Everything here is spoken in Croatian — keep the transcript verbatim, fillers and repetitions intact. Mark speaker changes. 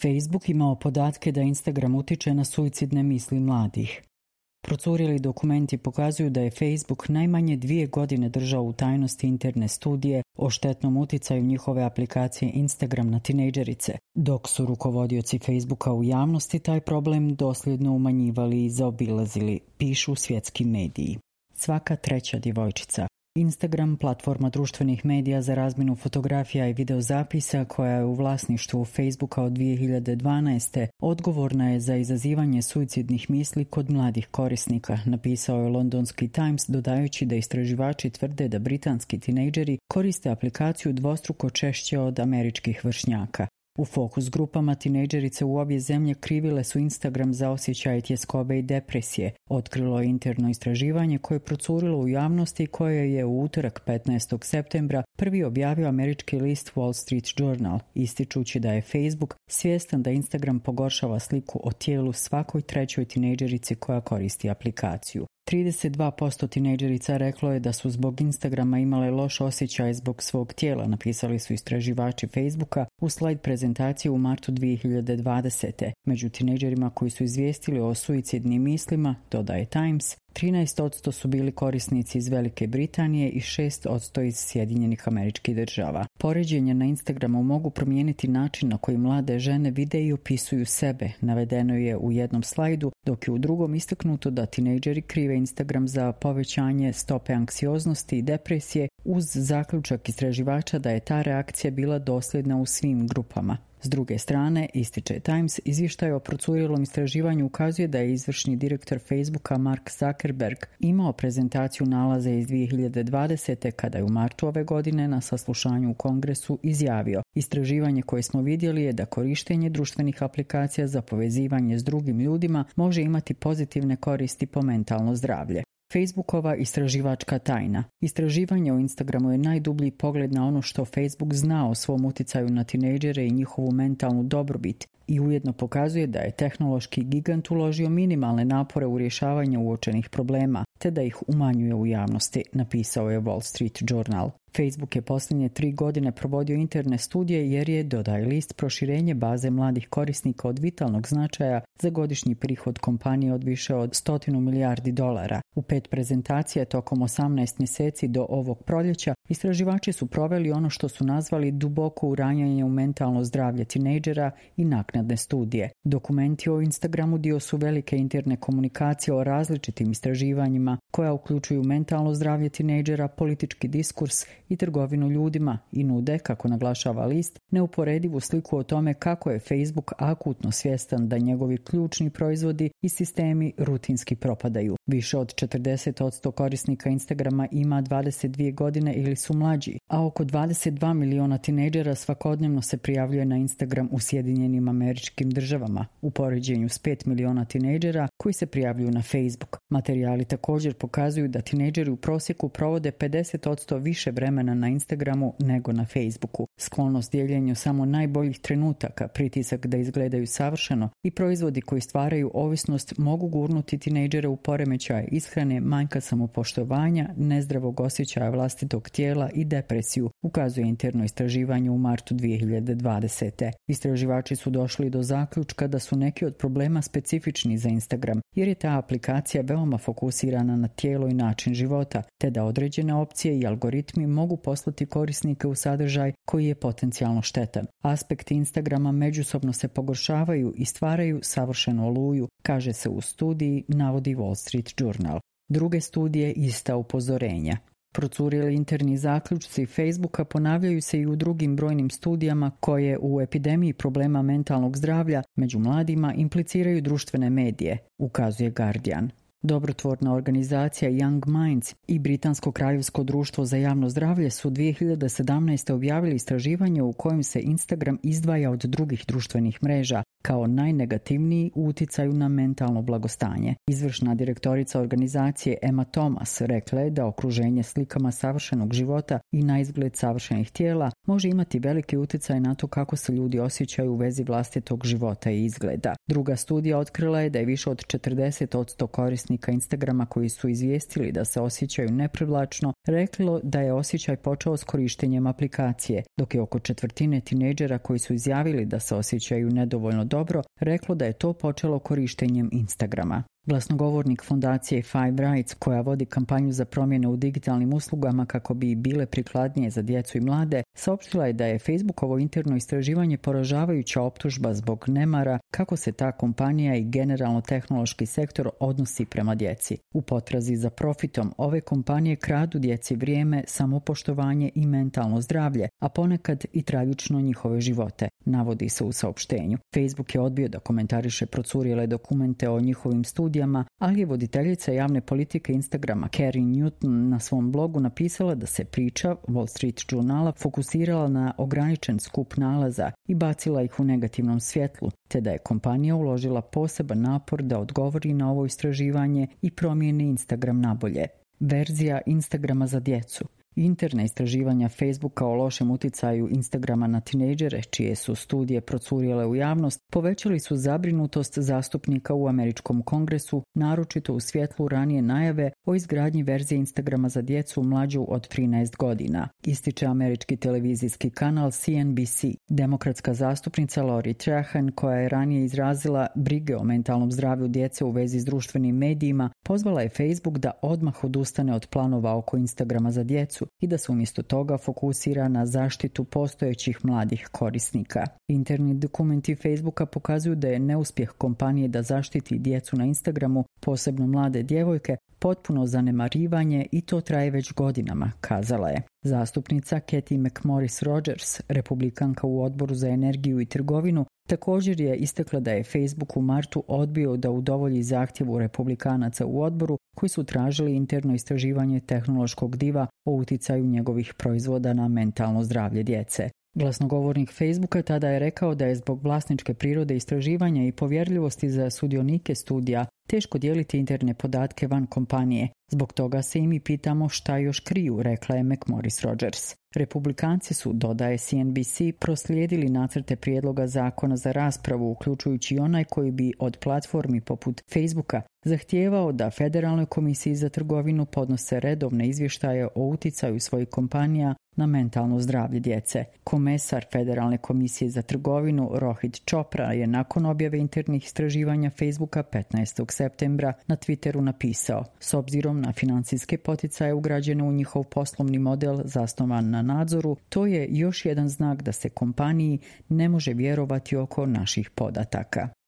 Speaker 1: Facebook imao podatke da Instagram utiče na suicidne misli mladih. Procurili dokumenti pokazuju da je Facebook najmanje dvije godine držao u tajnosti interne studije o štetnom uticaju njihove aplikacije Instagram na tinejdžerice, dok su rukovodioci Facebooka u javnosti taj problem dosljedno umanjivali i zaobilazili, pišu svjetski mediji. Svaka treća djevojčica. Instagram, platforma društvenih medija za razmjenu fotografija i videozapisa koja je u vlasništvu Facebooka od dvije hiljade dvanaeste. odgovorna je za izazivanje suicidnih misli kod mladih korisnika, napisao je londonski Times, dodajući da istraživači tvrde da britanski tinejdžeri koriste aplikaciju dvostruko češće od američkih vršnjaka. U fokus grupama tinejdžerice u obje zemlje krivile su Instagram za osjećaje tjeskobe i depresije. Otkrilo je interno istraživanje koje je procurilo u javnosti, koje je u utorak petnaestog septembra prvi objavio američki list Wall Street Journal, ističući da je Facebook svjestan da Instagram pogoršava sliku o tijelu svakoj trećoj tinejdžerici koja koristi aplikaciju. trideset dva posto tinejdžerica reklo je da su zbog Instagrama imale loš osjećaj zbog svog tijela, napisali su istraživači Facebooka u slajd prezentaciji u martu dvije hiljade dvadesete. Među tinejdžerima koji su izvijestili o suicidnim mislima, dodaje Times, trinaest posto su bili korisnici iz Velike Britanije i šest posto iz Sjedinjenih Američkih Država. Poređenja na Instagramu mogu promijeniti način na koji mlade žene vide i opisuju sebe, navedeno je u jednom slajdu, dok je u drugom istaknuto da tinejdžeri krive Instagram za povećanje stope anksioznosti i depresije, uz zaključak istraživača da je ta reakcija bila dosljedna u svim grupama. S druge strane, ističe Times, izvještaj o procurilom istraživanju ukazuje da je izvršni direktor Facebooka Mark Zuckerberg imao prezentaciju nalaza iz dvije hiljade dvadesete. kada je u martu ove godine na saslušanju u Kongresu izjavio: istraživanje koje smo vidjeli je da korištenje društvenih aplikacija za povezivanje s drugim ljudima može imati pozitivne koristi po mentalno zdravlje. Facebookova istraživačka tajna. Istraživanje o Instagramu je najdublji pogled na ono što Facebook zna o svom uticaju na tinejdžere i njihovu mentalnu dobrobit i ujedno pokazuje da je tehnološki gigant uložio minimalne napore u rješavanje uočenih problema, te da ih umanjuje u javnosti, napisao je Wall Street Journal. Facebook je posljednje tri godine provodio interne studije jer je, dodaje list, proširenje baze mladih korisnika od vitalnog značaja za godišnji prihod kompanije od više od stotinu milijardi dolara. U pet prezentacija tokom osamnaest mjeseci do ovog proljeća istraživači su proveli ono što su nazvali duboko uranjanje u mentalno zdravlje tinejdžera i naknadne studije. Dokumenti o Instagramu dio su velike interne komunikacije o različitim istraživanjima koja uključuju mentalno zdravlje tinejdžera, politički diskurs i trgovinu ljudima i nude, kako naglašava list, neuporedivu sliku o tome kako je Facebook akutno svjestan da njegovi ključni proizvodi i sistemi rutinski propadaju. Više od četrdeset posto korisnika Instagrama ima dvadeset dvije godine ili su mlađi, a oko dvadeset dva miliona tinejdžera svakodnevno se prijavljuje na Instagram u Sjedinjenim Američkim Državama, u poređenju s pet miliona tinejdžera koji se prijavljuju na Facebook. Materijali također pokazuju da tinejdžeri u prosjeku provode pedeset posto više vremena na Instagramu nego na Facebooku. Sklonost dijeljenju samo najboljih trenutaka, pritisak da izgledaju savršeno i proizvodi koji stvaraju ovisnost mogu gurnuti tinejdžere u poremećaje ishrane, manjka samopoštovanja, nezdravog osjećaja vlastitog tijela i depresiju, ukazuje interno istraživanje u martu dvije hiljade dvadesete. Istraživači su došli do zaključka da su neki od problema specifični za Instagram, jer je ta aplikacija veoma fokusirana na tijelo i način života, te da određene opcije i algoritmi mogu poslati korisnike u sadržaj koji je potencijalno štetan. Aspekti Instagrama međusobno se pogoršavaju i stvaraju savršenu oluju, kaže se u studiji, navodi Wall Street Journal. Druge studije ista upozorenja. Procurili interni zaključci Facebooka ponavljaju se i u drugim brojnim studijama koje u epidemiji problema mentalnog zdravlja među mladima impliciraju društvene medije, ukazuje Guardian. Dobrotvorna organizacija Young Minds i Britansko kraljevsko društvo za javno zdravlje su dvije hiljade sedamnaeste. objavili istraživanje u kojem se Instagram izdvaja od drugih društvenih mreža, kao najnegativniji u uticaju na mentalno blagostanje. Izvršna direktorica organizacije Emma Thomas rekla je da okruženje slikama savršenog života i na izgled savršenih tijela može imati veliki uticaj na to kako se ljudi osjećaju u vezi vlastitog života i izgleda. Druga studija otkrila je da je više od četrdeset posto korisnika Instagrama koji su izvijestili da se osjećaju neprivlačno reklo da je osjećaj počeo s korištenjem aplikacije, dok je oko četvrtine tinejdžera koji su izjavili da se osjećaju nedovoljno dobro reklo da je to počelo korištenjem Instagrama. Glasnogovornik fondacije Five Rights, koja vodi kampanju za promjene u digitalnim uslugama kako bi bile prikladnije za djecu i mlade, saopštila je da je Facebookovo interno istraživanje poražavajuća optužba zbog nemara kako se ta kompanija i generalno tehnološki sektor odnosi prema djeci. U potrazi za profitom ove kompanije kradu djeci vrijeme, samopoštovanje i mentalno zdravlje, a ponekad i tragično njihove živote, navodi se u saopštenju. Facebook je odbio da komentariše procurile dokumente o njihovim studijama, ali je voditeljica javne politike Instagrama Carrie Newton na svom blogu napisala da se priča Wall Street Journala fokusirala na ograničen skup nalaza i bacila ih u negativnom svjetlu, te da je kompanija uložila poseban napor da odgovori na ovo istraživanje i promijeni Instagram nabolje. Verzija Instagrama za djecu. Interna istraživanja Facebooka o lošem uticaju Instagrama na tinejdžere, čije su studije procurile u javnost, povećali su zabrinutost zastupnika u američkom kongresu, naročito u svjetlu ranije najave o izgradnji verzije Instagrama za djecu mlađu od trinaest godina, ističe američki televizijski kanal C N B C. Demokratska zastupnica Lori Trahan, koja je ranije izrazila brige o mentalnom zdravlju djece u vezi s društvenim medijima, pozvala je Facebook da odmah odustane od planova oko Instagrama za djecu i da se umjesto toga fokusira na zaštitu postojećih mladih korisnika. Interni dokumenti Facebooka pokazuju da je neuspjeh kompanije da zaštiti djecu na Instagramu, posebno mlade djevojke, potpuno zanemarivanje i to traje već godinama, kazala je. Zastupnica Kathy McMorris Rogers, republikanka u odboru za energiju i trgovinu, također je istakla da je Facebook u martu odbio da udovolji zahtjevu republikanaca u odboru koji su tražili interno istraživanje tehnološkog diva o uticaju njegovih proizvoda na mentalno zdravlje djece. Glasnogovornik Facebooka tada je rekao da je zbog vlasničke prirode istraživanja i povjerljivosti za sudionike studija teško dijeliti interne podatke van kompanije. Zbog toga se i mi pitamo šta još kriju, rekla je McMorris Rogers. Republikanci su, dodaje C N B C, proslijedili nacrte prijedloga zakona za raspravu, uključujući onaj koji bi od platformi poput Facebooka zahtijevao da Federalnoj komisiji za trgovinu podnose redovne izvještaje o uticaju svojih kompanija na mentalno zdravlje djece. Komesar Federalne komisije za trgovinu Rohit Chopra je nakon objave internih istraživanja Facebooka petnaestog septembra na Twitteru napisao: s obzirom na financijske poticaje ugrađene u njihov poslovni model zasnovan na nadzoru, to je još jedan znak da se kompaniji ne može vjerovati oko naših podataka.